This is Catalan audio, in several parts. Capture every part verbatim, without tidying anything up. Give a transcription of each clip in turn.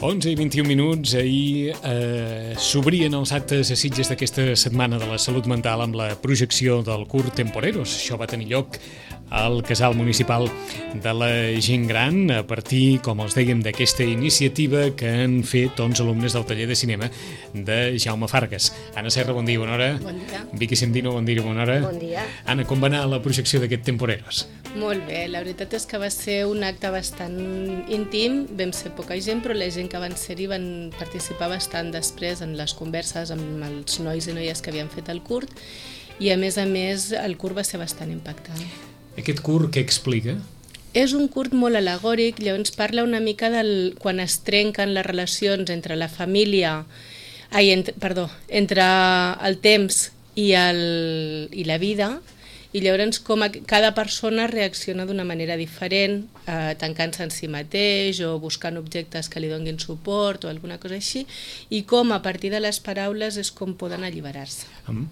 onze i vint-i-un minuts, ahir eh, s'obrien els actes a Sitges d'aquesta setmana de la salut mental amb la projecció del curt Temporeros. Això va tenir lloc al casal municipal de la gent gran a partir, com els dèiem, d'aquesta iniciativa que han fet onze alumnes del taller de cinema de Jaume Fargas. Anna Serra, bon dia, bona hora. Bon dia. Vicky Sendino, bon dia, bona hora. Bon dia. Anna, com va anar la projecció d'aquest Temporeros? Molt bé, la veritat és que va ser un acte bastant íntim, vam ser poca gent, però la gent que van ser-hi van participar bastant després en les converses amb els nois i noies que havien fet el curt, i a més a més el curt va ser bastant impactant. Aquest curt què explica? És un curt molt al·legòric, llavors parla una mica del quan es trenquen les relacions entre la família, ai, entre, perdó, entre el temps i, el, i la vida, i llavors com a, cada persona reacciona d'una manera diferent, eh, tancant-se en si mateix o buscant objectes que li donguin suport o alguna cosa així, i com a partir de les paraules és com poden alliberar-se. Um,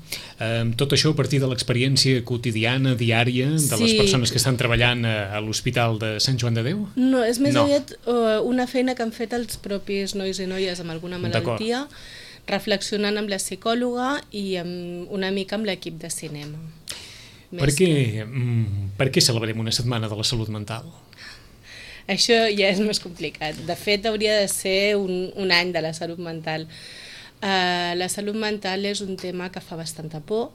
um, tot això a partir de l'experiència quotidiana, diària, de sí. les persones que estan treballant a, a l'Hospital de Sant Joan de Déu? No, és més no. aviat uh, una feina que han fet els propis nois i noies amb alguna malaltia, reflexionant amb la psicòloga i amb, una mica amb l'equip de cinema. Per què, que... per què celebrem una setmana de la salut mental? Això ja és més complicat. De fet, hauria de ser un, un any de la salut mental. Uh, la salut mental és un tema que fa bastanta por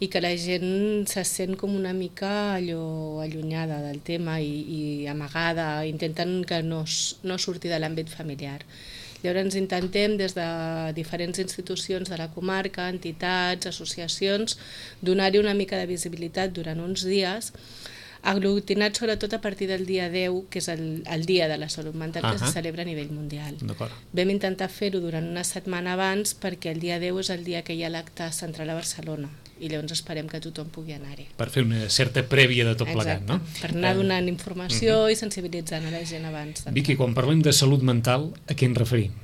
i que la gent se sent com una mica allò allunyada del tema i, i amagada, intenten que no, no surti de l'àmbit familiar. Llavors intentem des de diferents institucions de la comarca, entitats, associacions, donar-hi una mica de visibilitat durant uns dies, aglutinat sobretot a partir del dia deu, que és el, el dia de la salut mental, uh-huh. que se celebra a nivell mundial. Vam intentar fer-ho durant una setmana abans perquè el dia deu és el dia que hi ha l'acte central a Barcelona i llavors esperem que tothom pugui anar-hi. Per fer una certa prèvia de tot plegat, no? Per anar donant informació uh-huh. i sensibilitzant a la gent abans. Vicky, quan parlem de salut mental, a què ens referim?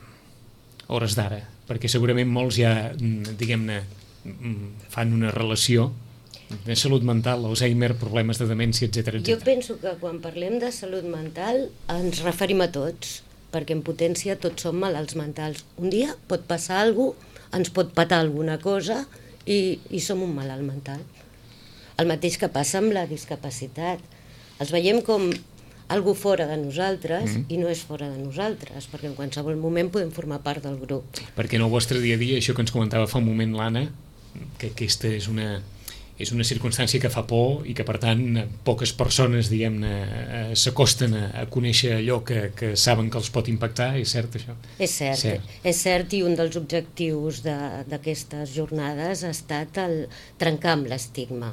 A hores d'ara, perquè segurament molts ja, diguem-ne, fan una relació de salut mental, Alzheimer, problemes de demència, etcètera, etcètera. Jo penso que quan parlem de salut mental ens referim a tots, perquè en potència tots som malalts mentals. Un dia pot passar alguna cosa, ens pot patar alguna cosa i, i som un malalt mental. El mateix que passa amb la discapacitat. Els veiem com algú fora de nosaltres mm-hmm. i no és fora de nosaltres, perquè en qualsevol moment podem formar part del grup. Perquè en el vostre dia a dia, això que ens comentava fa un moment l'Anna, que aquesta és una, és una circumstància que fa por i que per tant poques persones, diguem-ne, s'acosten a, a conèixer allò que, que saben que els pot impactar, és cert això? És cert, cert. és cert, i un dels objectius d'aquestes jornades ha estat el trencar amb l'estigma.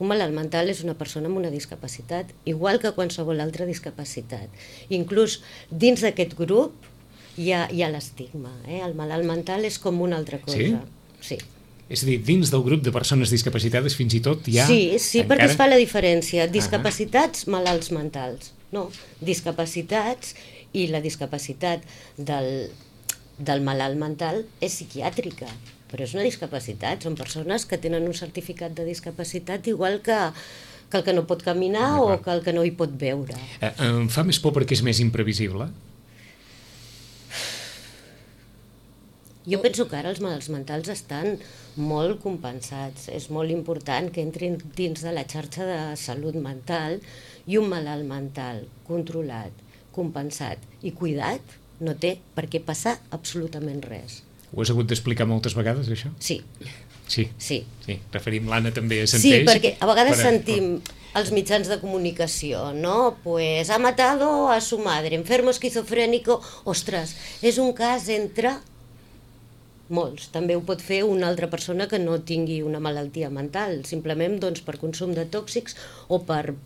Un malalt mental és una persona amb una discapacitat, igual que qualsevol altra discapacitat. Inclús dins d'aquest grup hi ha, hi ha l'estigma. Eh? El malalt mental és com una altra cosa. Sí? Sí. És a dir, dins del grup de persones discapacitades fins i tot hi ha... Sí, sí, encara... perquè es fa la diferència. Discapacitats, uh-huh. malalts mentals. No, discapacitats i la discapacitat del, del malalt mental és psiquiàtrica. Però és una discapacitat, són persones que tenen un certificat de discapacitat igual que, que el que no pot caminar o que el que no hi pot veure. Eh, em fa més por perquè és més imprevisible? Jo penso que ara els malalts mentals estan molt compensats. És molt important que entrin dins de la xarxa de salut mental i un malalt mental controlat, compensat i cuidat no té per què passar absolutament res. Ho has hagut d'explicar moltes vegades, això? Sí. Sí? Sí. Sí. Referim l'Anna també a Senteix. Sí, perquè a vegades per... sentim els mitjans de comunicació, no? Pues ha matado a su madre, enfermo esquizofrénico. Ostres, és un cas entre molts. També ho pot fer una altra persona que no tingui una malaltia mental, simplement doncs, per consum de tòxics o per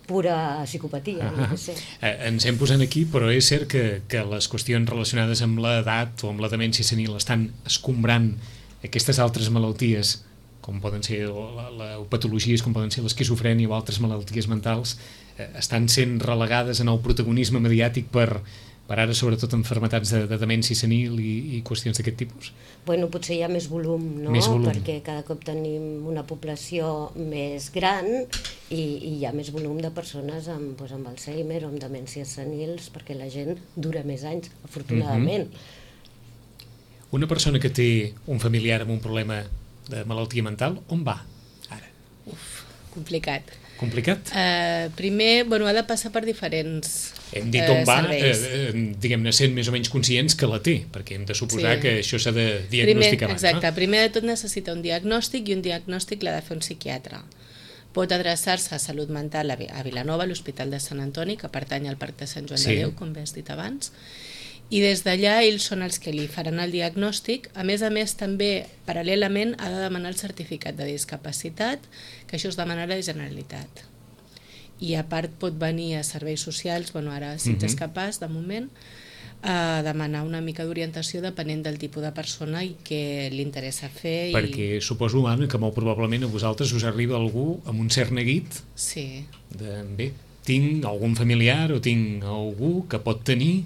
pura psicopatia. Uh-huh. No sé. eh, ens hem posat aquí, però és cert que, que les qüestions relacionades amb l'edat o amb la demència senil estan escombrant aquestes altres malalties, com poden ser la, la, patologies, com poden ser l'esquizofrènia o altres malalties mentals, eh, estan sent relegades en el protagonisme mediàtic per, per ara sobretot malalties de, de demència senil i, i qüestions d'aquest tipus? Bueno, potser hi ha més volum, no? Més volum. Perquè cada cop tenim una població més gran i, i hi ha més volum de persones amb, doncs, amb Alzheimer o amb demències senils, perquè la gent dura més anys, afortunadament. Mm-hmm. Una persona que té un familiar amb un problema de malaltia mental, on va ara? Uf, complicat. Complicat? Uh, primer, bueno, ha de passar per diferents Hem dit on uh, va, serveis. eh, diguem-ne, sent més o menys conscients que la té, perquè hem de suposar Sí. que això s'ha de diagnosticar primer, abans. exacte, No? primer de tot necessita un diagnòstic i un diagnòstic l'ha de fer un psiquiatre. Pot adreçar-se a Salut Mental a a Vilanova, a l'Hospital de Sant Antoni, que pertany al Parc de Sant Joan Sí. de Déu, com bé has dit abans, i des d'allà ells són els que li faran el diagnòstic. A més a més, també, paral·lelament, ha de demanar el certificat de discapacitat, que això es demana a la Generalitat. I a part pot venir a serveis socials, bueno, ara si ets Mhm. capaç, de moment, a demanar una mica d'orientació depenent del tipus de persona i què li interessa fer. Perquè suposo, Anna, que molt probablement a vosaltres us arriba algú amb un cert neguit Sí. de, bé, tinc algun familiar o tinc algú que pot tenir,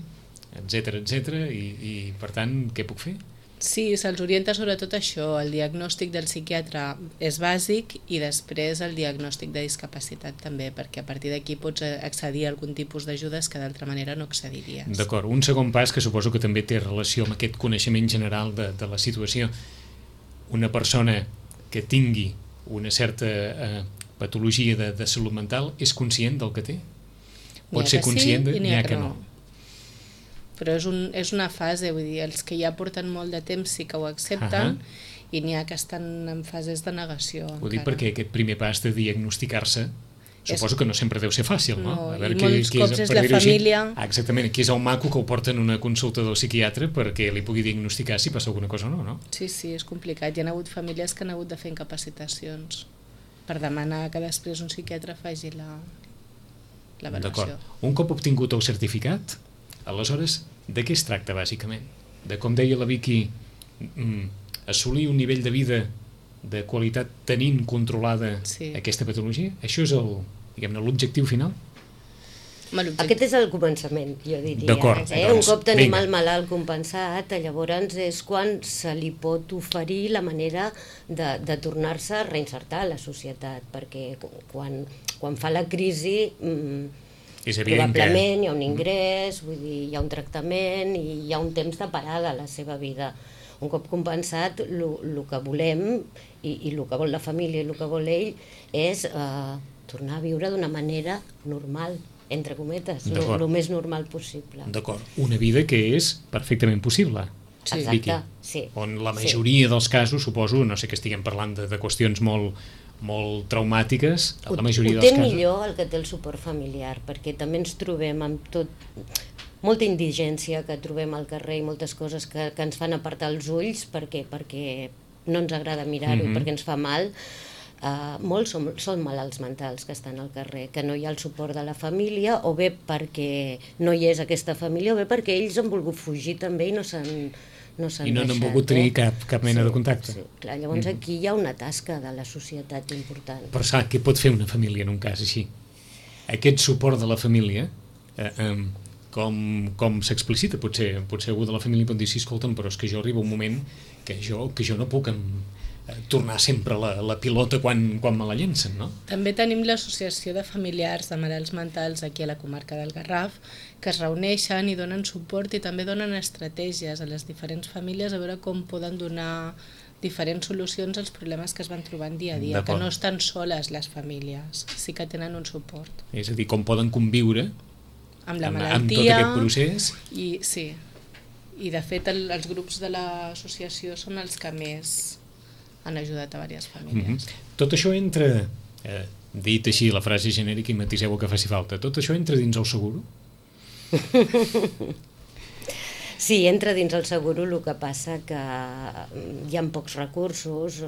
etcètera, etcètera, i, i per tant, què puc fer? Sí, se'ls orienta sobretot això. El diagnòstic del psiquiatre és bàsic i després el diagnòstic de discapacitat també, perquè a partir d'aquí pots accedir a algun tipus d'ajudes que d'altra manera no accediries. D'acord, un segon pas que suposo que també té relació amb aquest coneixement general de, de la situació. Una persona que tingui una certa eh, patologia de, de salut mental és conscient del que té? Pot ser conscient de... i n'hi ha que no. Però és, un, és una fase, vull dir, els que ja porten molt de temps sí que ho accepten, uh-huh. i n'hi ha que estan en fases de negació. Ho dic perquè aquest primer pas de diagnosticar-se suposo que no sempre deu ser fàcil, no? No, a veure, i qui, molts qui cops és per la dir-ho així, família. ah, exactament, qui és el maco que ho porta en una consulta del psiquiatre perquè li pugui diagnosticar si passa alguna cosa o no, no? Sí, sí, és complicat. Hi ha hagut famílies que han hagut de fer incapacitacions per demanar que després un psiquiatre faci la, la D'acord. valoració. Un cop obtingut el certificat, aleshores, de què es tracta, bàsicament? De, com deia la Vicky, mm, assolir un nivell de vida de qualitat tenint controlada Sí. aquesta patologia? Això és el, diguem-ne, l'objectiu final? Home, l'objectiu- Aquest és el començament, jo diria. D'acord, Eh? doncs, Un cop tenim vinga. el malalt compensat, llavors és quan se li pot oferir la manera de, de tornar-se a reinsertar a la societat, perquè quan, quan fa la crisi mm, És evident que... probablement hi ha un ingrés, vull dir, hi ha un tractament i hi ha un temps de parada a la seva vida. Un cop compensat, el que volem i, i el que vol la família i el que vol ell és eh, tornar a viure d'una manera normal, entre cometes, D'acord. el més normal possible. D'acord, una vida que és perfectament possible. Sí. Exacte, Vicky, sí. on la Sí. majoria dels casos, suposo, no sé que estiguem parlant de, de qüestions molt, molt traumàtiques, Ho, la majoria ho dels té casos... millor el que té el suport familiar, perquè també ens trobem amb tot, molta indigència que trobem al carrer i moltes coses que, que ens fan apartar els ulls perquè, perquè no ens agrada mirar-ho, Mhm. perquè ens fa mal. Uh, molts són, són malalts mentals que estan al carrer, que no hi ha el suport de la família, o bé perquè no hi és aquesta família, o bé perquè ells han volgut fugir també i no s'han no s'han I no n'han deixat, volgut tenir eh? cap, cap mena Sí, de contacte. Sí, clar, llavors Mhm. aquí hi ha una tasca de la societat important. Però sap, què pot fer una família en un cas així? Aquest suport de la família, eh, eh, com, com s'explicita? Potser, potser algú de la família pot dir, sí, escolta'm, però és que jo arriba un moment que jo, que jo no puc em, eh, tornar sempre la, la pilota quan, quan me la llencen, no? També tenim l'Associació de Familiars de Malalts Mentals aquí a la comarca del Garraf, que es reuneixen i donen suport i també donen estratègies a les diferents famílies a veure com poden donar diferents solucions als problemes que es van trobant dia a dia, que D'acord. no estan soles les famílies, sí que tenen un suport. És a dir, com poden conviure Amb la amb, malaltia... amb tot aquest procés. I, sí, i de fet el, els grups de l'associació són els que més han ajudat a diverses famílies. Mm -hmm. Tot això entra, eh, dit així la frase genèrica i matiseu el que faci falta, tot això entra dins el seguro? Sí, entra dins el seguro, el que passa que hi ha pocs recursos,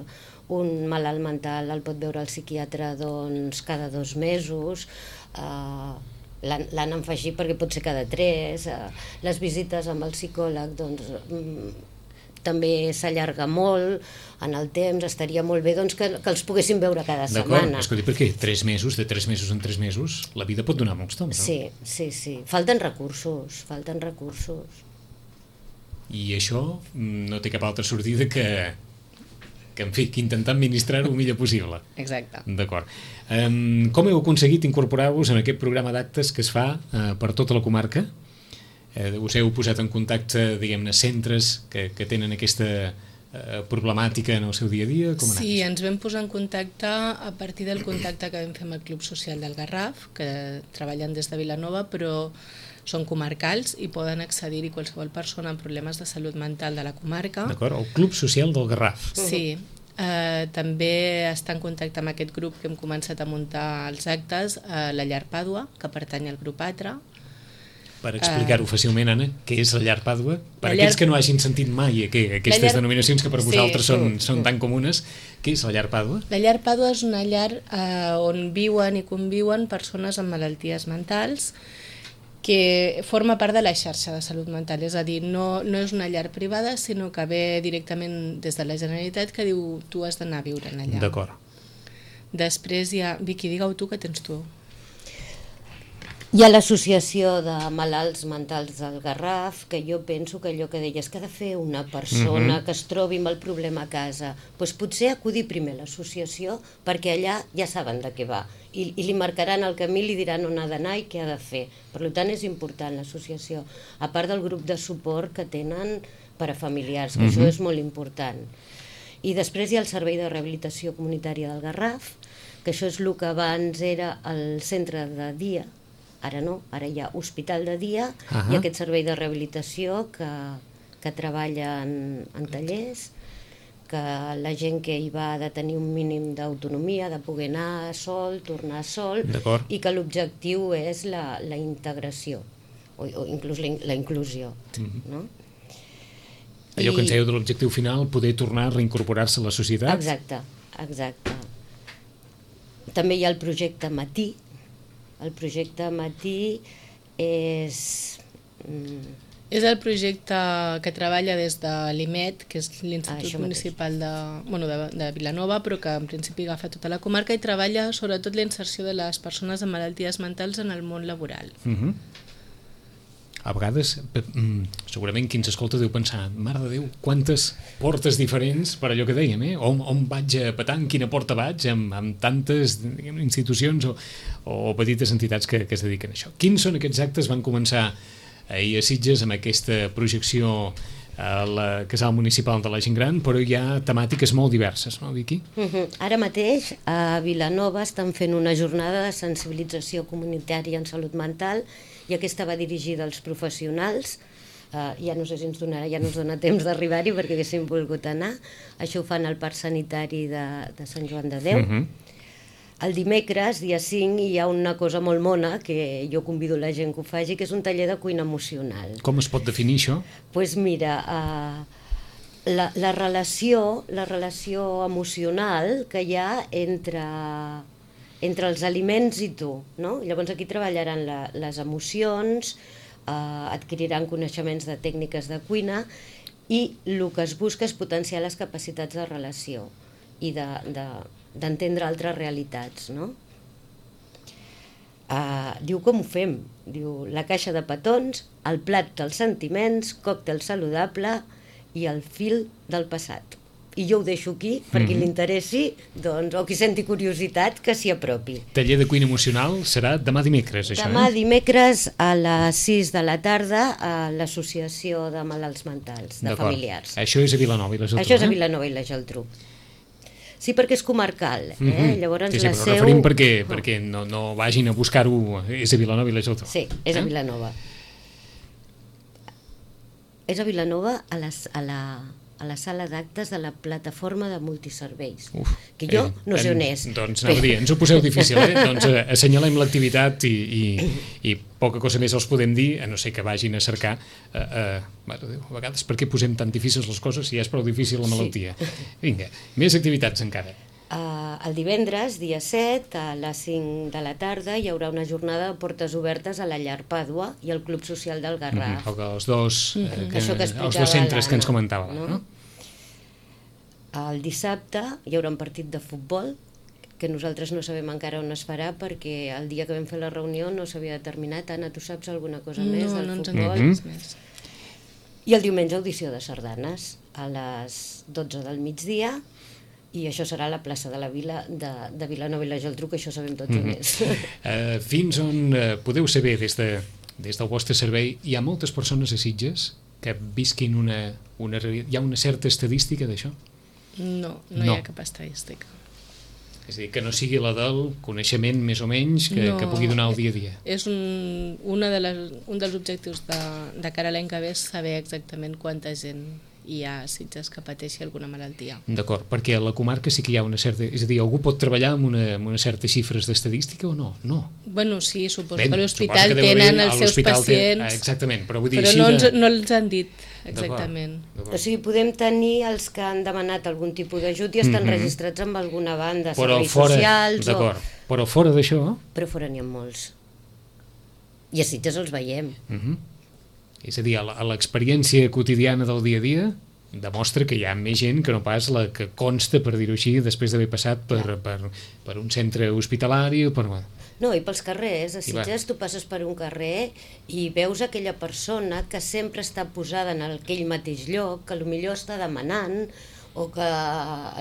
un malalt mental el pot veure el psiquiatre doncs, cada dos mesos, eh, l'han enfegit perquè pot ser cada tres, eh, les visites amb el psicòleg doncs, també s'allarga molt en el temps, estaria molt bé doncs, que, que els poguéssim veure cada setmana. D'acord, escolti, perquè tres mesos, de tres mesos en tres mesos, la vida pot donar molts temps, no? Sí, sí, sí. Falten recursos, falten recursos. I això no té cap altra sortida que, que en fi, que intentar administrar-ho el millor possible. Exacte. D'acord. Um, com heu aconseguit incorporar-vos en aquest programa d'actes que es fa uh, per tota la comarca? Uh, us heu posat en contacte, diguem-ne, centres que, que tenen aquesta uh, problemàtica en el seu dia a dia? Com sí, ens vam posar en contacte a partir del contacte que vam fer amb el Club Social del Garraf, que treballen des de Vilanova, però són comarcals i poden accedir-hi qualsevol persona amb problemes de salut mental de la comarca. D'acord, el Club Social del Garraf. Sí, eh, també està en contacte amb aquest grup que hem començat a muntar els actes, eh, la Llar Pàdua, que pertany al grup Atra. Per explicar-ho uh, fàcilment, Anna, què és la Llar Pàdua? Per llar... aquells que no hagin sentit mai que, aquestes llar... denominacions que per vosaltres sí, són, són tan comunes, què és la Llar Pàdua? La Llar Pàdua és una llar eh, on viuen i conviuen persones amb malalties mentals que forma part de la xarxa de salut mental, és a dir, no, no és una llar privada, sinó que ve directament des de la Generalitat que diu tu has d'anar a viure allà. D'acord. Després hi ha... Vicky, digue-ho tu, que tens tu. Hi ha l'associació de malalts mentals del Garraf, que jo penso que allò que deies que ha de fer una persona uh-huh. que es trobi amb el problema a casa, doncs potser acudir primer a l'associació perquè allà ja saben de què va i, i li marcaran el camí, li diran on ha d'anar i què ha de fer. Per tant, és important l'associació, a part del grup de suport que tenen per a familiars, que uh-huh. això és molt important. I després hi ha el Servei de Rehabilitació Comunitària del Garraf, que això és el que abans era el centre de dia. Ara no, ara hi ha hospital de dia uh-huh. i aquest servei de rehabilitació que, que treballa en, en tallers, que la gent que hi va ha de tenir un mínim d'autonomia, de poder anar sol, tornar sol, i que l'objectiu és la, la integració, o, o inclús la, la inclusió. Uh-huh. No? Allò I... que ens dèieu de l'objectiu final, poder tornar a reincorporar-se a la societat? Exacte, exacte. També hi ha el projecte Matí. El projecte Matí és... Mm... És el projecte que treballa des de l'I M E T, que és l'Institut ah, Municipal de, bueno, de, de Vilanova, però que en principi agafa tota la comarca i treballa sobretot la inserció de les persones amb malalties mentals en el món laboral. Uh-huh. A vegades, segurament qui ens escolta deu pensar, mare de Déu, quantes portes diferents per allò que dèiem, eh? On, on vaig a petar, en quina porta vaig, amb, amb tantes diguem, institucions o, o petites entitats que, que es dediquen a això. Quins són aquests actes? Van començar ahir a Sitges amb aquesta projecció al Casal Municipal de la Gent Gran, però hi ha temàtiques molt diverses, no, Vicky? Uh-huh. Ara mateix a Vilanova estan fent una jornada de sensibilització comunitària en salut mental i aquesta va dirigida als professionals. Uh, ja no sé si ens donarà, ja no ens dona temps d'arribar-hi perquè haguéssim volgut anar. Això ho fan al Parc Sanitari de, de Sant Joan de Déu. Uh-huh. El dimecres, dia cinc, hi ha una cosa molt mona que jo convido la gent que ho faci, que és un taller de cuina emocional. Com es pot definir això? Doncs pues mira, uh, la, la, relació, la relació emocional que hi ha entre... entre els aliments i tu, no? Llavors aquí treballaran la, les emocions, eh, adquiriran coneixements de tècniques de cuina i el que es busca és potenciar les capacitats de relació i de, de, d'entendre altres realitats, no? Eh, diu com ho fem? Diu la caixa de petons, el plat dels sentiments, còctel saludable i el fil del passat. I jo ho deixo aquí, per qui l'interessi, doncs, o qui senti curiositat, que s'hi apropi. Taller de cuina emocional serà demà dimecres, això, demà eh? dimecres a les sis de la tarda a l'Associació de Malalts Mentals, de Familiars. Això és a Vilanova i la Geltrú, Això és a Vilanova i la Geltrú. Sí, perquè és comarcal, eh? Mm-hmm. Llavors sí, sí, la però seu... referim perquè, oh. perquè no, no vagin a buscar-ho, és a Vilanova i la Geltrú. Sí, és eh? a Vilanova. És a Vilanova a, les, a la... a la sala d'actes de la plataforma de multiserveis, Uf, que jo eh, no sé on és. Doncs anava a dir, ens ho poseu difícil, eh? Doncs eh, assenyalem l'activitat i, i, i poca cosa més els podem dir, a no ser que vagin a cercar. Eh, eh, mare de Déu, a vegades per què posem tan difícils les coses si ja és prou difícil la malaltia? Sí. Vinga, més activitats encara. Uh, el divendres, dia set, a les cinc de la tarda, hi haurà una jornada de portes obertes a la Llar Pàdua i al Club Social del Garraf. Mm -hmm. Els dos, eh, que, Això que els dos centres que ens comentava. No? No? El dissabte hi haurà un partit de futbol que nosaltres no sabem encara on es farà perquè el dia que vam fer la reunió no s'havia determinat. Anna, tu saps alguna cosa no, més del no ens futbol? en dius més. I el diumenge audició de sardanes a les dotze del migdia i això serà a la plaça de la Vila de, de Vilanova i la Geltrú, que això sabem tots on Mm-hmm. és. Uh, fins on uh, podeu saber des, de, des del vostre servei, hi ha moltes persones a Sitges que visquin una, una... Hi ha una certa estadística d'això? No, no, No. hi ha cap estadística. És a dir, que no sigui la del coneixement més o menys que, No, que pugui donar el dia a dia. És un, una de les, un dels objectius de, de cara a l'any que ve és saber exactament quanta gent hi ha a Sitges que pateixi alguna malaltia. D'acord, perquè a la comarca sí que hi ha una certa... És a dir, algú pot treballar amb, una, amb unes certes xifres d'estadística o no? No. Bueno, sí, suposo Ben, que a suposo l'hospital que deu haver- tenen a els seus l'hospital té- pacients, ah, exactament, però vull dir però així no, de- ens, no els han dit exactament. D'acord. O sigui, podem tenir els que han demanat algun tipus d'ajut i estan Mhm. registrats amb alguna banda, Però serveis fora, socials... O... d'acord, però fora d'això... Però fora n'hi ha molts. I a Sitges els veiem. Uh -huh. És a dir, a la- a l'experiència quotidiana del dia a dia demostra que hi ha més gent que no pas la que consta, per dir-ho així, després d'haver passat per, Ja. per, per un centre hospitalari o per... No, i pels carrers, a I va. Sitges tu passes per un carrer i veus aquella persona que sempre està posada en aquell mateix lloc, que potser està demanant o que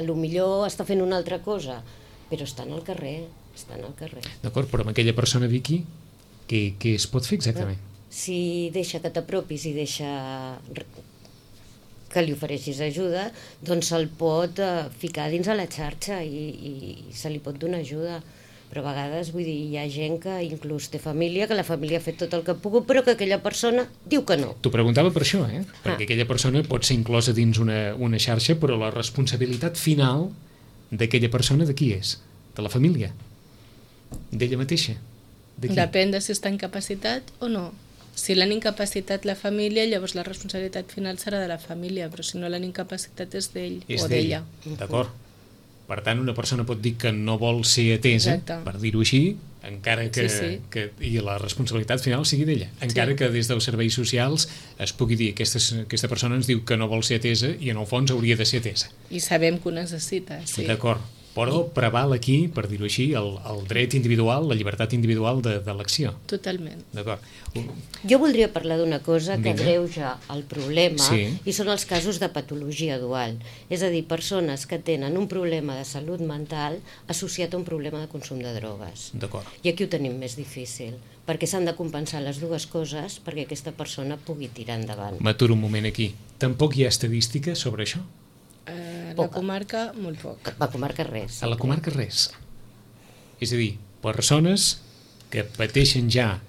potser està fent una altra cosa, però està en el carrer, està en el carrer. D'acord, però amb aquella persona, Vicky, què, què es pot fer exactament? Si deixa que t'apropis i deixa que li ofereixis ajuda, doncs se'l pot eh, ficar dins a la xarxa i, i, i se li pot donar ajuda. Però a vegades, vull dir, hi ha gent que inclús té família, que la família ha fet tot el que ha pogut, però que aquella persona diu que no. T'ho preguntava per això, eh? Perquè Ah. aquella persona pot ser inclosa dins una, una xarxa, però la responsabilitat final d'aquella persona de qui és? De la família? D'ella mateixa? De qui? Depèn de si està incapacitat o no. Si l'han incapacitat la família, llavors la responsabilitat final serà de la família, però si no l'han incapacitat és d'ell És o d'ella. d'ella. D'acord. Per tant, una persona pot dir que no vol ser atesa, Exacte. per dir-ho així, encara que, Sí, sí. que i la responsabilitat final sigui d'ella. Encara Sí. que des dels serveis socials es pugui dir que aquesta, aquesta persona ens diu que no vol ser atesa i en el fons hauria de ser atesa. I sabem que ho necessita, sí. D'acord. Però preval aquí, per dir-ho així, el, el dret individual, la llibertat individual de, de l'acció. Totalment. D'acord. Jo voldria parlar d'una cosa que Vinga. agreuja el problema Sí. i són els casos de patologia dual. És a dir, persones que tenen un problema de salut mental associat a un problema de consum de drogues. D'acord. I aquí ho tenim més difícil, perquè s'han de compensar les dues coses perquè aquesta persona pugui tirar endavant. M'aturo un moment aquí. Tampoc hi ha estadística sobre això? A la Poca. comarca, molt poc. A la comarca res. A la comarca res. És a dir, persones que pateixen ja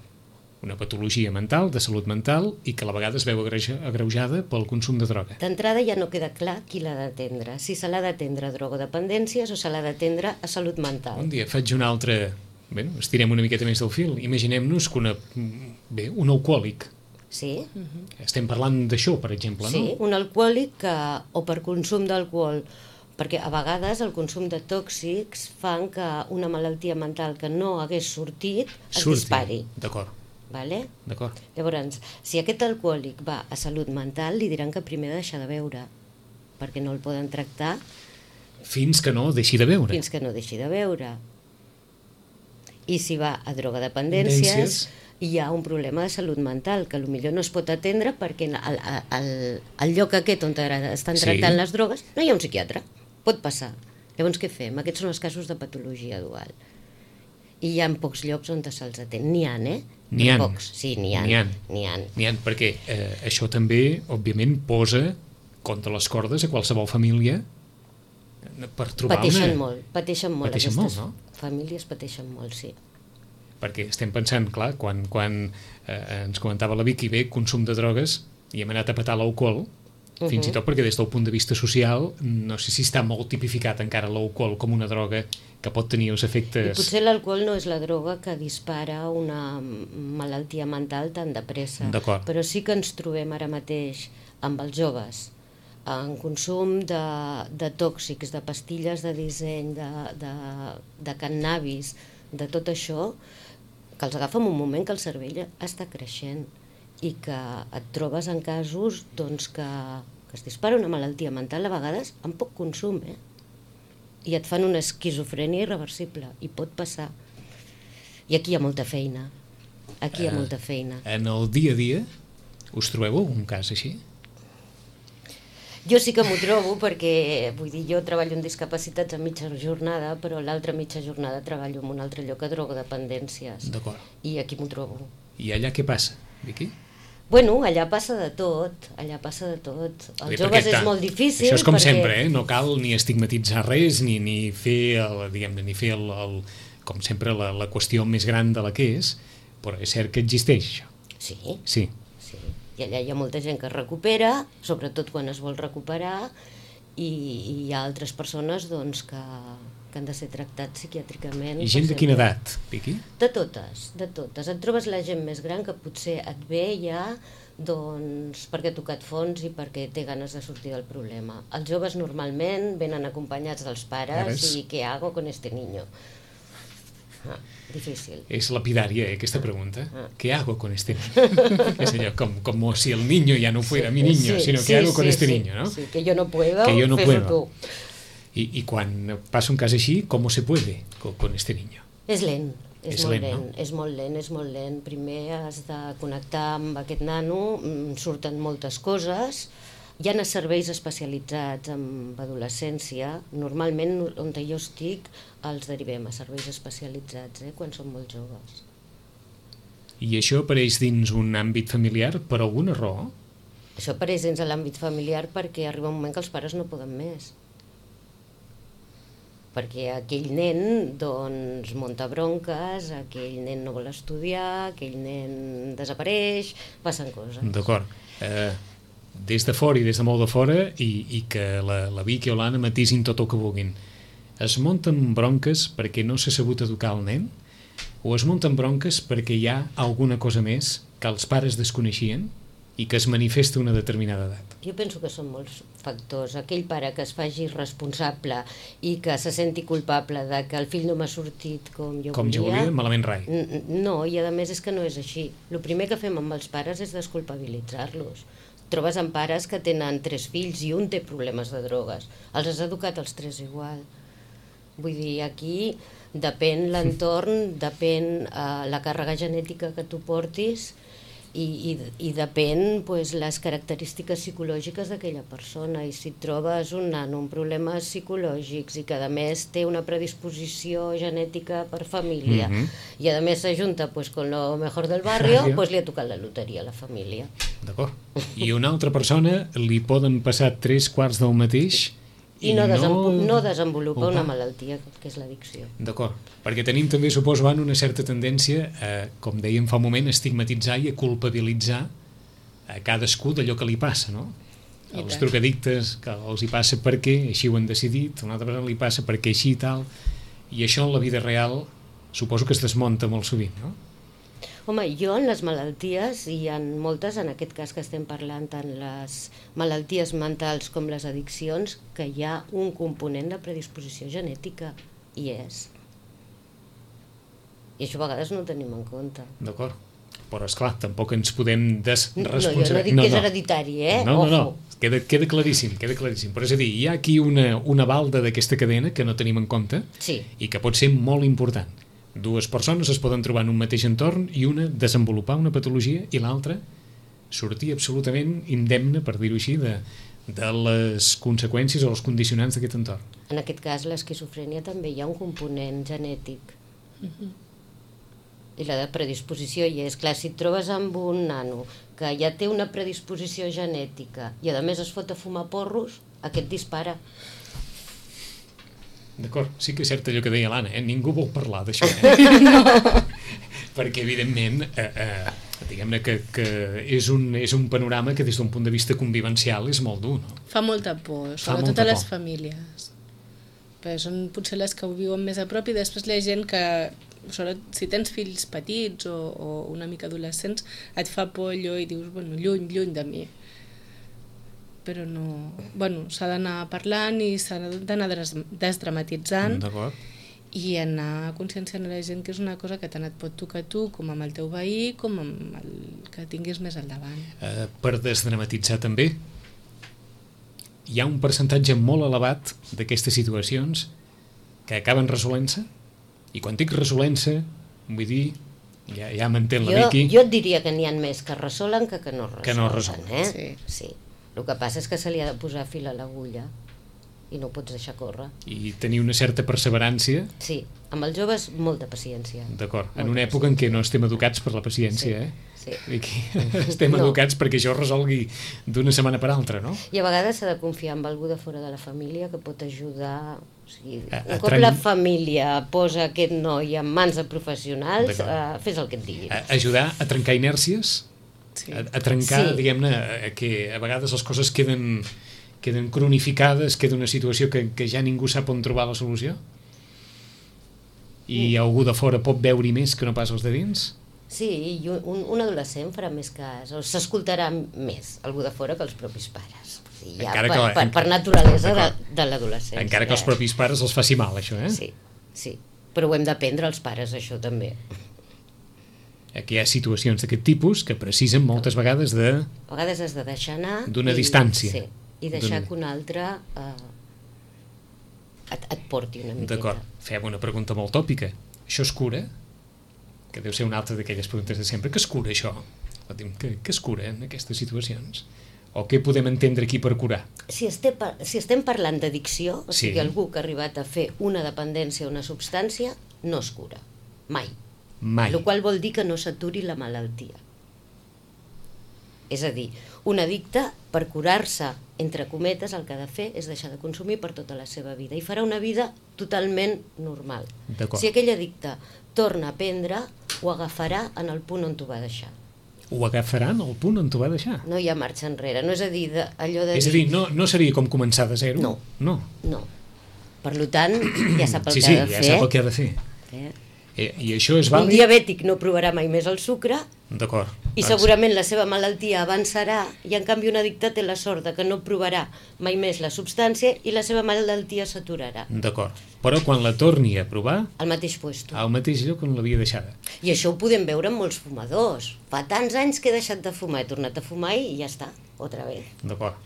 una patologia mental, de salut mental, i que a la vegada es veu agreuja- agreujada pel consum de droga. D'entrada ja no queda clar qui l'ha d'atendre, si se l'ha d'atendre a drogodependències o se l'ha d'atendre a salut mental. Un dia faig una altra... Bé, estirem una miqueta més del fil. Imaginem-nos que una... Bé, un alcohòlic. Sí? Estem parlant d'això, per exemple, Sí, no? un alcohòlic que, o per consum d'alcohol, perquè a vegades el consum de tòxics fan que una malaltia mental que no hagués sortit es Surti. dispari. D'acord, Vale? d'acord. Llavors, si aquest alcohòlic va a salut mental, li diran que primer ha de deixar de beure, perquè no el poden tractar Fins que no deixi de beure. fins que no deixi de beure. I si va a drogodependències, Dependències. hi ha un problema de salut mental, que potser no es pot atendre perquè al, al, al lloc aquest on estan Sí. tractant les drogues no hi ha un psiquiatre. Pot passar. Llavors què fem? Aquests són els casos de patologia dual. I hi ha pocs llocs on se'ls atén. N'hi ha, eh? N'hi ha. Pocs, sí, n'hi ha. N'hi ha. N'hi ha. N'hi ha, perquè eh, això també, òbviament, posa contra les cordes a qualsevol família per trobar Pateixen una... molt, pateixen molt. Pateixen Aquestes molt, no? famílies pateixen molt, sí. Perquè estem pensant, clar, quan, quan eh, ens comentava la Vicky, bé, consum de drogues, i hem anat a petar l'alcohol, uh -huh. fins i tot perquè des del punt de vista social, no sé si està molt tipificat encara l'alcohol com una droga que pot tenir els I efectes... potser l'alcohol no és la droga que dispara una malaltia mental tan de pressa. D'acord. Però sí que ens trobem ara mateix amb els joves en consum de, de tòxics, de pastilles de disseny, de, de, de cannabis, de tot això, que els agafa en un moment que el cervell està creixent i que et trobes en casos doncs, que, que es dispara una malaltia mental a vegades amb poc consum, eh? I et fan una esquizofrènia irreversible, i pot passar. I aquí hi ha molta feina, aquí hi ha molta feina. En el dia a dia us trobeu un cas així? Jo sí que m'ho trobo perquè, vull dir, jo treballo en discapacitats a mitja jornada, però l'altra mitja jornada treballo en un altre lloc a drogodependències. D'acord. I aquí m'ho trobo. I allà què passa, Vicky? Bueno, allà passa de tot, allà passa de tot. Els joves és molt difícil. Això és com perquè... sempre, eh? No cal ni estigmatitzar res, ni, ni fer, el, diguem-ne, ni fer el, el, com sempre la, la qüestió més gran de la que és, però és cert que existeix això. Sí. Sí. Sí. I allà hi ha molta gent que es recupera, sobretot quan es vol recuperar, i, i hi ha altres persones doncs, que, que han de ser tractats psiquiàtricament. I gent de quina edat, Vicky? De totes, de totes. Et trobes la gent més gran que potser et ve ja doncs, perquè ha tocat fons i perquè té ganes de sortir del problema. Els joves normalment venen acompanyats dels pares Pares. i què hago con este niño? Ah, difícil. És lapidària, eh, aquesta pregunta. Ah. ¿Qué hago con este niño? És allò, com, com si el niño ya no fuera sí, mi niño, sí, sino sí, ¿qué hago sí, con este sí, niño? ¿No? Sí, que yo no puedo, que yo no fes-ho puedo. tu. I, I quan passa un cas així, ¿cómo se puede con, con este niño? És lent, és, És molt lent, lent, no? és molt lent, és molt lent. Primer has de connectar amb aquest nano, mm, surten moltes coses. Hi ha serveis especialitzats en adolescència. Normalment, on jo estic, els derivem a serveis especialitzats, eh, quan són molt joves. I això apareix dins un àmbit familiar per alguna raó? Això apareix dins de l'àmbit familiar perquè arriba un moment que els pares no poden més. Perquè aquell nen doncs, munta bronques, aquell nen no vol estudiar, aquell nen desapareix, passen coses. D'acord. Eh, des de fora i des de molt de fora, i, i que la, la Vicky o l'Anna matisin tot el que vulguin, es munten bronques perquè no s'ha sabut educar el nen? O es munten bronques perquè hi ha alguna cosa més que els pares desconeixien i que es manifesta a una determinada edat? Jo penso que són molts factors. Aquell pare que es faci responsable i que se senti culpable de que el fill no m'ha sortit com jo com volia... jo volia, malament rai. No, i a més és que no és així. El primer que fem amb els pares és desculpabilitzar-los. Trobes amb pares que tenen tres fills i un té problemes de drogues. Els has educat els tres igual. Vull dir, aquí depèn l'entorn, depèn eh, la càrrega genètica que tu portis i, i, i depèn pues, les característiques psicològiques d'aquella persona. I si trobes un nano amb problemes psicològics i que a més té una predisposició genètica per família Mm-hmm. i a més s'ajunta pues, con lo mejor del barrio, pues, li ha tocat la loteria a la família. D'acord. I a una altra persona li poden passar tres quarts del mateix I, I no, desenvo no... no desenvolupa Opa. una malaltia que és l'addicció. D'acord, perquè tenim també, suposo, Anna, una certa tendència a, com dèiem fa un moment, a estigmatitzar i a culpabilitzar a cadascú d'allò que li passa, no? I Els tant. drogadictes, que els hi passa perquè així ho han decidit, a una altra persona li passa perquè així i tal, i això en la vida real suposo que es desmunta molt sovint, no? Home, jo en les malalties, i hi ha moltes, en aquest cas que estem parlant, tant les malalties mentals com les addiccions, que hi ha un component de predisposició genètica, i és. I això a vegades no ho tenim en compte. D'acord. Però, esclar, tampoc ens podem desresponsabilitzar. No, jo no dic que és hereditari, eh? No, no, no, Ojo. queda, queda claríssim, queda claríssim. Però és a dir, hi ha aquí una, una balda d'aquesta cadena que no tenim en compte Sí. i que pot ser molt important. Dues persones es poden trobar en un mateix entorn i una desenvolupar una patologia i l'altra sortir absolutament indemne, per dir-ho així, de, de les conseqüències o els condicionants d'aquest entorn. En aquest cas, l'esquizofrènia també hi ha un component genètic. I la de predisposició hi és. Clar, si et trobes amb un nano que ja té una predisposició genètica i a més es fot a fumar porros, aquest dispara. D'acord, sí que és cert allò que deia l'Anna, eh? Ningú vol parlar d'això. Eh? No. Perquè, evidentment, eh, eh, diguem-ne que, que és, un, és un panorama que des d'un punt de vista convivencial és molt dur, no? Fa molta por, Fa sobretot molta a les por. famílies. Però són potser les que ho viuen més a prop i després la gent que, sobretot si tens fills petits o, o una mica adolescents, et fa por allò i dius, bueno, lluny, lluny de mi. però no... Bueno, s'ha d'anar parlant i s'ha d'anar desdramatitzant i anar conscienciant a la gent que és una cosa que tant et pot tocar a tu com amb el teu veí com amb el que tinguis més al davant. Uh, per desdramatitzar també, hi ha un percentatge molt elevat d'aquestes situacions que acaben resolent-se, i quan dic resolent-se, vull dir, ja, ja m'entén la Miqui... Jo et diria que n'hi ha més que resolen que que no resolen. Que no resolen. Eh? Sí. Sí. El que passa és que se li ha de posar fil a l'agulla i no ho pots deixar córrer. I tenir una certa perseverància. Sí, amb els joves molta paciència. D'acord, en una època en què no estem educats per la paciència, sí, eh? Sí. Miqui, estem no. educats perquè això resolgui d'una setmana per altra, no? I a vegades s'ha de confiar en algú de fora de la família que pot ajudar. O sigui, a, a un cop tren... la família posa aquest noi en mans de professionals, uh, fes el que et diguin. A, ajudar a trencar inèrcies, sí. a, a trencar, sí. diguem-ne, que a vegades les coses queden, queden cronificades, queda una situació que, que ja ningú sap on trobar la solució? I mm. algú de fora pot veure-hi més que no pas els de dins? Sí, i un, un adolescent farà més cas, o s'escoltarà més algú de fora que els propis pares. O sigui, ja per, per, per naturalesa de, de l'adolescència. Encara que els propis pares els faci mal, això, eh? Sí, sí, però ho hem d'aprendre els pares, això també. Aquí hi ha situacions d'aquest tipus que precisen moltes vegades de... A vegades has de deixar anar... D'una distància. Sí, i deixar que un altre eh, et, et porti una miqueta. D'acord, fem una pregunta molt tòpica. Això es cura? Que deu ser una altra d'aquelles preguntes de sempre. Què es cura, això? Què, què es cura en aquestes situacions? O què podem entendre aquí per curar? Si estem, si estem parlant d'addicció, o sí. sigui, algú que ha arribat a fer una dependència a una substància, no es cura. Mai. Mai. El qual vol dir que no s'aturi la malaltia. És a dir, un addicte, per curar-se, entre cometes, el que ha de fer és deixar de consumir per tota la seva vida i farà una vida totalment normal. Si aquell addicte torna a prendre, ho agafarà en el punt on t'ho va deixar. Ho agafarà en el punt on t'ho va deixar? No hi ha marxa enrere, no és a dir, de, allò de... És a dir, no, no seria com començar de zero? No. No. No. Per tant, ja sap el sí, que sí, ha de ja fer. Sí, sí, ja sap el que ha de fer. Eh? I, I això és vàlid? Un diabètic no provarà mai més el sucre. D'acord. I segurament la seva malaltia avançarà i en canvi un addicte té la sort de que no provarà mai més la substància i la seva malaltia s'aturarà. D'acord. Però quan la torni a provar... Al mateix puesto. Al mateix lloc on l'havia deixada. I això ho podem veure en molts fumadors. Fa tants anys que he deixat de fumar, he tornat a fumar i ja està, otra vez. D'acord.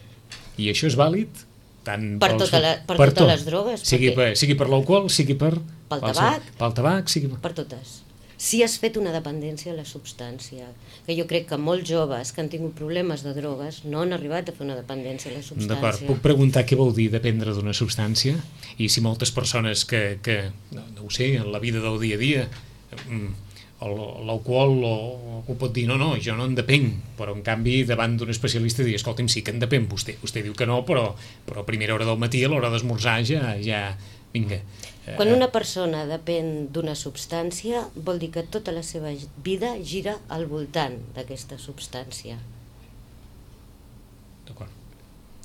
I això és vàlid? Tant per pels, tota la, per, per totes tot. Les drogues. Sigui per, sigui per l'alcohol, sigui per... Pel tabac. Pel tabac, sigui per... Per totes. Si has fet una dependència a la substància, que jo crec que molts joves que han tingut problemes de drogues no han arribat a fer una dependència a la substància. D'acord, puc preguntar què vol dir dependre d'una substància? I si moltes persones que, que no, no ho sé, en la vida del dia a dia, l'alcohol ho pot dir, no, no, jo no en depenc, però en canvi davant d'un especialista dir, escolti'm, sí que en depèn vostè, vostè diu que no, però, però a primera hora del matí, a l'hora d'esmorzar, ja, ja, vinga. Quan una persona depèn d'una substància, vol dir que tota la seva vida gira al voltant d'aquesta substància. D'acord.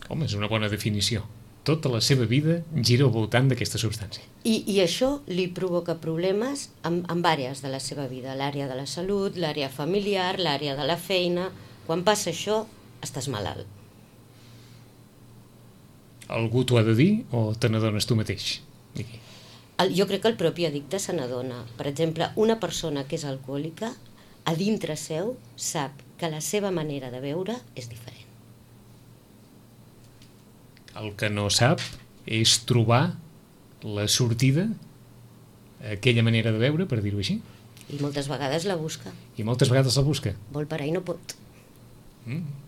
Home, és una bona definició. Tota la seva vida gira al voltant d'aquesta substància. I, i això li provoca problemes en, en àrees de la seva vida, l'àrea de la salut, l'àrea familiar, l'àrea de la feina. Quan passa això, estàs malalt. Algú t'ho ha de dir o te n'adones tu mateix? Aquí. El, jo crec que el propi addicte se n'adona. Per exemple, una persona que és alcohòlica, a dintre seu, sap que la seva manera de beure és diferent. El que no sap és trobar la sortida a aquella manera de beure, per dir-ho així. I moltes vegades la busca. I moltes vegades la busca. Vol parar i no pot. Mm.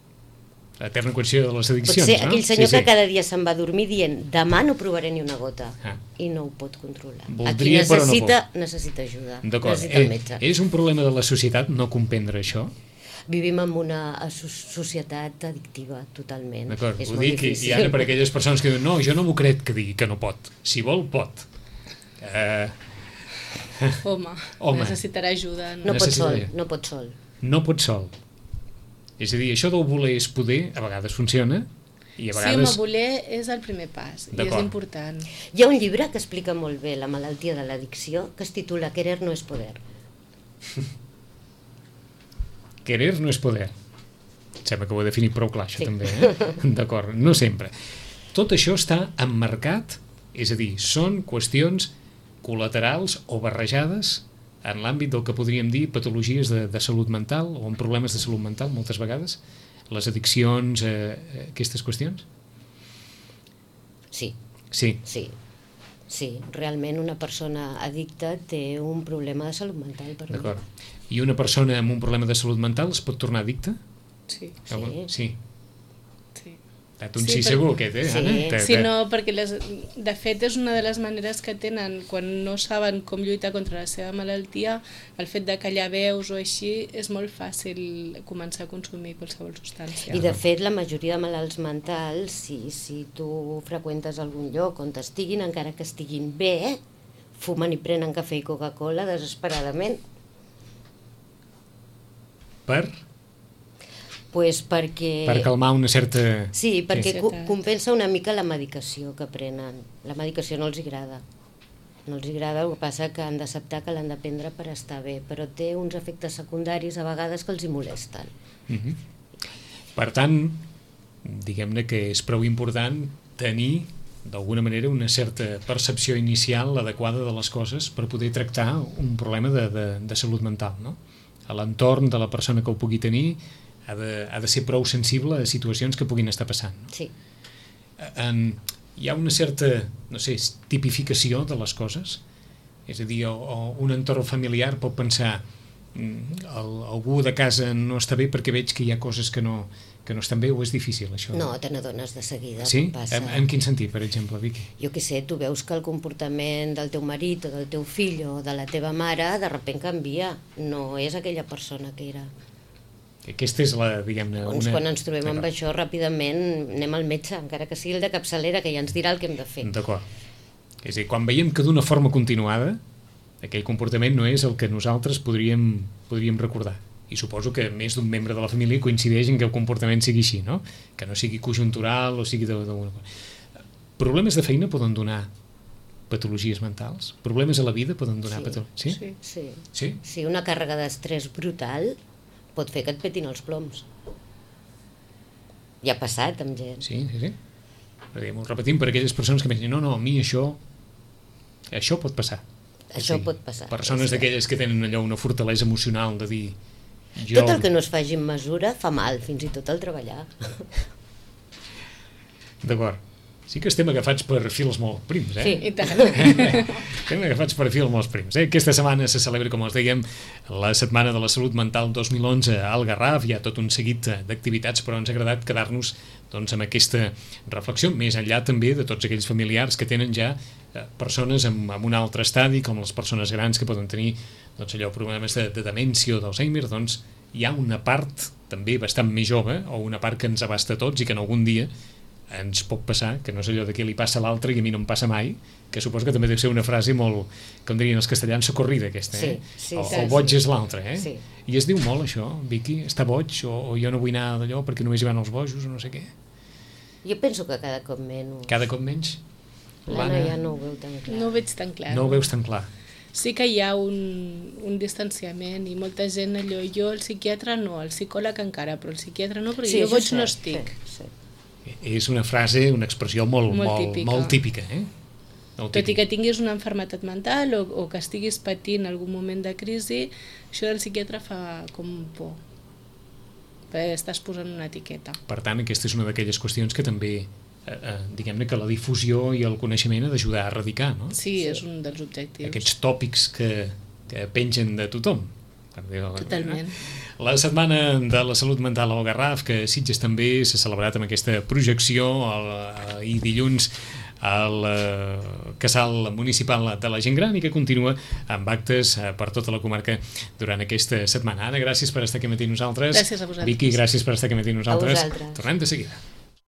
L'eterna qüestió de les addiccions, pot ser no? Aquell senyor sí, sí. que cada dia se'n va a dormir dient demà no provaré ni una gota ah. i no ho pot controlar. Voldria, Aquí necessita, no necessita ajuda, D'acord. necessita el metge. Eh, és un problema de la societat no comprendre això? Vivim en una societat addictiva totalment. D'acord, és ho molt dic difícil. i ara per aquelles persones que diuen no, jo no m'ho crec que digui que no pot. Si vol, pot. Eh... Home, Home, necessitarà ajuda. No, no pot sol, no pot sol. No pot sol. És a dir, això del voler és poder, a vegades funciona, i a vegades... Sí, home, voler és el primer pas, i és important. Hi ha un llibre que explica molt bé la malaltia de l'addicció, que es titula Querer no és poder. Querer no és poder. sembla que ho he definit prou clar, això Sí. també, eh? D'acord, no sempre. Tot això està emmarcat, és a dir, són qüestions col·laterals o barrejades en l'àmbit del que podríem dir patologies de, de salut mental o en problemes de salut mental, moltes vegades, les addiccions, eh, aquestes qüestions? Sí, Sí, sí. Sí, realment una persona addicta té un problema de salut mental. Per mi. d'acord. I una persona amb un problema de salut mental es pot tornar addicta? Sí, Sí. Sí. sí. T'ha un Sí, sí, per- segur, aquest, eh, Sí. Anna? Te- Sí, te- no, perquè les, de fet és una de les maneres que tenen quan no saben com lluitar contra la seva malaltia, el fet de callar veus o així és molt fàcil començar a consumir qualsevol substància. I de fet la majoria de malalts mentals, si, si tu freqüentes algun lloc on estiguin, encara que estiguin bé, fumen i prenen cafè i Coca-Cola desesperadament. Per, Pues perquè... per calmar una certa... Sí, perquè Sí. co compensa una mica la medicació que prenen. La medicació no els agrada. No els agrada, el que passa que han d'acceptar que l'han de prendre per estar bé, però té uns efectes secundaris a vegades que els hi molesten. Mhm. Per tant, diguem-ne que és prou important tenir d'alguna manera una certa percepció inicial adequada de les coses per poder tractar un problema de, de, de salut mental, no? A l'entorn de la persona que ho pugui tenir ha de, ha de ser prou sensible a situacions que puguin estar passant, no? Sí. En, hi ha una certa, no sé, tipificació de les coses, és a dir, o, o un entorn familiar pot pensar mm, el, algú de casa no està bé perquè veig que hi ha coses que no, que no estan bé, o és difícil això? No, te n'adones de seguida. Sí? Quan passa. En, en quin sentit, per exemple, Vicky? Jo què sé, tu veus que el comportament del teu marit o del teu fill o de la teva mare de sobte canvia, no és aquella persona que era. Aquesta és la, diguem-ne... Llavors, una... quan ens trobem amb D'acord. això, ràpidament anem al metge, encara que sigui el de capçalera, que ja ens dirà el que hem de fer. D'acord. És a dir, quan veiem que d'una forma continuada aquell comportament no és el que nosaltres podríem, podríem recordar. I suposo que més d'un membre de la família coincideix en que el comportament sigui així, no? Que no sigui conjuntural o sigui d'alguna cosa. Problemes de feina poden donar patologies mentals? Problemes a la vida poden donar Sí. patologies? Sí? Sí. Sí. Sí? Sí, una càrrega d'estrès brutal pot fer que et petin els ploms. Ja ha passat amb gent. Sí, sí, sí. Però diguem, ho repetim per aquelles persones que pensen, no, no, a mi això això pot passar. Això Sí, pot passar. Persones Sí. d'aquelles que tenen allò una fortalesa emocional de dir jo... Tot el que no es faci amb mesura fa mal, fins i tot el treballar. D'acord. Sí que estem agafats per fils molt prims, eh? Sí. I tant. Estem agafats per fils molt prims. Eh? Aquesta setmana se celebra, com els dèiem, la Setmana de la Salut Mental dos mil onze al Garraf. Hi ha tot un seguit d'activitats, però ens ha agradat quedar-nos doncs, amb aquesta reflexió, més enllà també de tots aquells familiars que tenen ja eh, persones amb, amb un altre estadi, com les persones grans que poden tenir doncs, allò, problemes de, de demència o d'Alzheimer. Doncs hi ha una part també bastant més jove, o una part que ens abasta a tots i que en algun dia ens pot passar, que no és allò de què li passa a l'altre i a mi no em passa mai, que suposo que també deu ser una frase molt, com dirien els castellans, socorrida aquesta, eh? Sí, sí, el, sí, el boig sí. és l'altre, eh? Sí. I es diu molt això, Vicky, està boig, o, o jo no vull anar d'allò perquè només hi van els bojos, o no sé què. Jo penso que cada cop menys. Cada cop menys? L'Anna ja no ho veu tan clar. No ho veig tan clar. No ho veus tan clar. Sí que hi ha un, un distanciament i molta gent allò, jo el psiquiatre no, el psicòleg encara, però el psiquiatre no, perquè Sí, jo això boig és no cert, estic. Sí, sí. És una frase, una expressió molt, Molt molt, típica. molt típica, eh? Molt Tot i típica. que tinguis una malaltia mental o, o que estiguis patint algun moment de crisi, això del psiquiatre fa com por, perquè estàs posant una etiqueta. Per tant, aquesta és una d'aquelles qüestions que també, eh, eh, diguem-ne que la difusió i el coneixement ha d'ajudar a erradicar, no? Sí, és un dels objectius. Aquests tòpics que, que pengen de tothom. Per dir-ho d'alguna Totalment. manera. La Setmana de la Salut Mental al Garraf, que a Sitges també s'ha celebrat amb aquesta projecció el, i dilluns al eh, casal municipal de la gent gran i que continua amb actes eh, per tota la comarca durant aquesta setmana. Anna, gràcies per estar aquí amb nosaltres. Gràcies a vosaltres. Vicky, gràcies per estar aquí amb nosaltres. vosaltres. Tornem de seguida.